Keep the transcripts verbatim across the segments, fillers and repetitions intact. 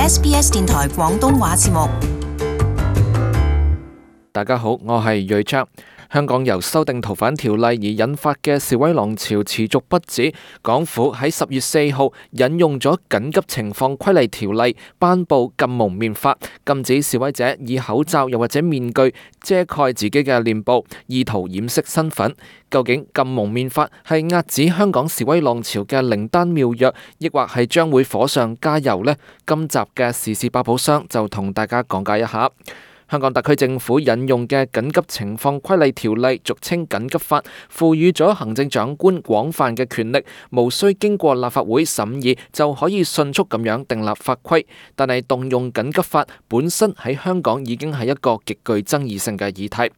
S B S 電台廣東話節目。大家好，我係瑞章。香港由修訂逃犯條例而引發嘅示威浪潮持續不止，港府喺十月四號引用咗緊急情況規例條例，頒布禁蒙面法，禁止示威者以口罩又或者面具遮蓋自己嘅臉部，意圖掩飾身份。究竟禁蒙面法係遏止香港示威浪潮嘅靈丹妙藥，抑或係將會火上加油呢？今集嘅時事百寶箱就同大家講解一下。香港特區政府引用嘅緊急情況規例條例，俗稱緊急法，賦予咗行政長官廣泛嘅權力，無需經過立法會審議就可以迅速咁樣訂立法規。但係動用緊急法本身喺香港已經係一個極具爭議性嘅議題。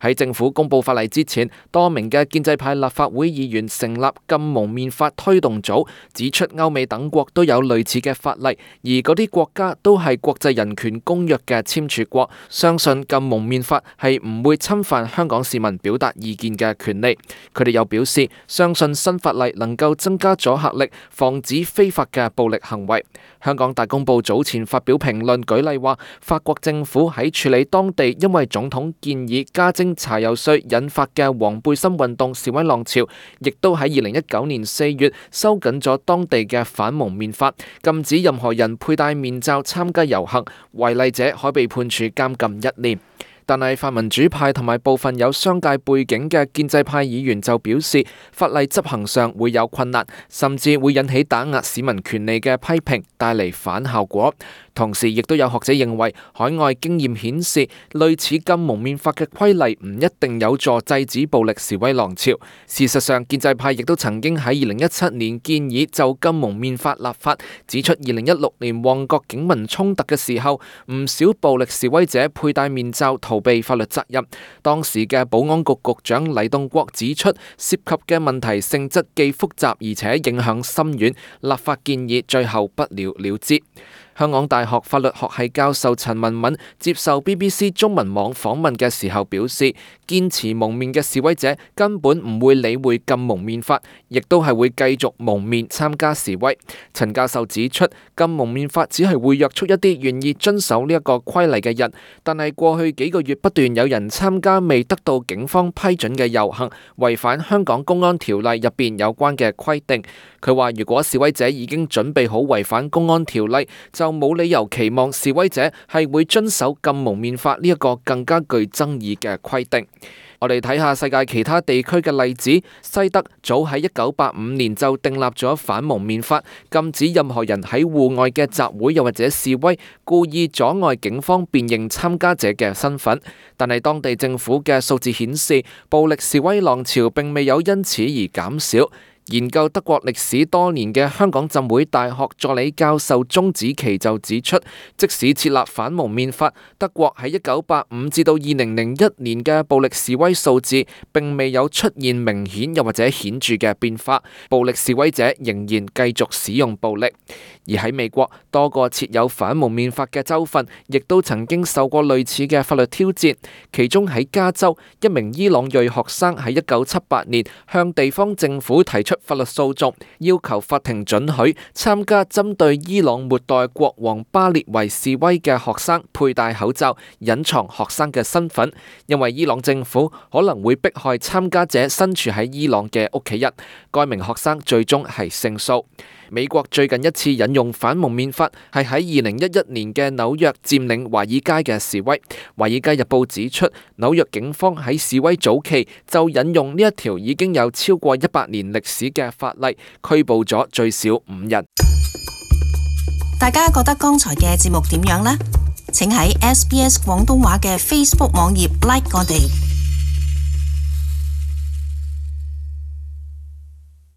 喺政府公布法例之前，多名嘅建制派立法會議員成立禁蒙面法推動組，指出歐美等國都有類似嘅法例，而嗰啲國家都係國際人權公約嘅簽署國，相信禁蒙面法係唔會侵犯香港市民表達意見嘅權利。佢哋又表示，相信新法例能夠增加阻嚇力，防止非法嘅暴力行為。香港大公報早前發表評論，舉例話，法國政府喺處理當地因為總統建議加徵柴油稅引發嘅黃背心運動示威浪潮，亦都喺二零一九年四月收緊咗當地嘅反蒙面法，禁止任何人佩戴面罩參加遊行，違例者可被判處監禁一年。但係泛民主派同埋部分有商界背景嘅建制派議員就表示，法例執行上會有困難，甚至會引起打壓市民權利嘅批評，帶嚟反效果。同時，亦都有學者認為，海外經驗顯示，類似禁蒙面法嘅規例唔一定有助制止暴力示威浪潮。事實上，建制派亦都曾經喺二零一七年建議就禁蒙面法立法，指出二零一六年旺角警民衝突嘅時候，唔少暴力示威者佩戴面罩逃避法律責任。當時嘅保安局局長黎棟國指出，涉及嘅問題性質既複雜而且影響深遠，立法建議最後不了了之。香港大學法律學系教授陳文敏接受 B B C 中文網訪問嘅時候表示，堅持蒙面嘅示威者根本唔會理會禁蒙面法，亦都係會繼續蒙面參加示威。陳教授指出，禁蒙面法只係會約束一啲願意遵守呢一個規例嘅人，但係過去幾個月不斷有人參加未得到警方批准嘅遊行，違反香港公安條例入邊有關嘅規定。佢話如果示威者已經準備好違反公安條例，就冇理由期望示威者係會遵守禁蒙面法呢一個更加具爭議嘅規定。我哋睇下世界其他地區嘅例子，西德早喺一九八五年就訂立咗反蒙面法，禁止任何人喺戶外嘅集會又或者示威，故意阻礙警方辨認參加者嘅身份。但係當地政府嘅數字顯示，暴力示威浪潮並未有因此而減少。研究德國歷史多年嘅香港浸會大學助理教授鍾子琪就指出，即使設立反蒙面法，德國喺一九八五至到二零零一年嘅暴力示威數字並未有出現明顯又或者顯著嘅變化，暴力示威者仍然繼續使用暴力。而喺美國，多個設有反蒙面法嘅州份，亦都曾經受過類似嘅法律挑戰。其中喺加州，一名伊朗裔學生喺一九七八年向地方政府提出法律訴訟，要求法庭准許參加針對伊朗末代國王巴列維示威嘅學生佩戴口罩，隱藏學生嘅身份，因為伊朗政府可能會迫害參加者身處喺伊朗嘅屋企人。該名學生最終係勝訴。美國最近一次引用反蒙面法係喺二零一一年嘅紐約佔領華爾街嘅示威。華爾街日報指出，紐約警方喺示威早期就引用呢一條已經有超過一百年歷史嘅法例，拘捕咗最少五人。大家覺得剛才嘅節目點樣呢？請喺 S B S 廣東話嘅 Facebook 網頁 like 我哋。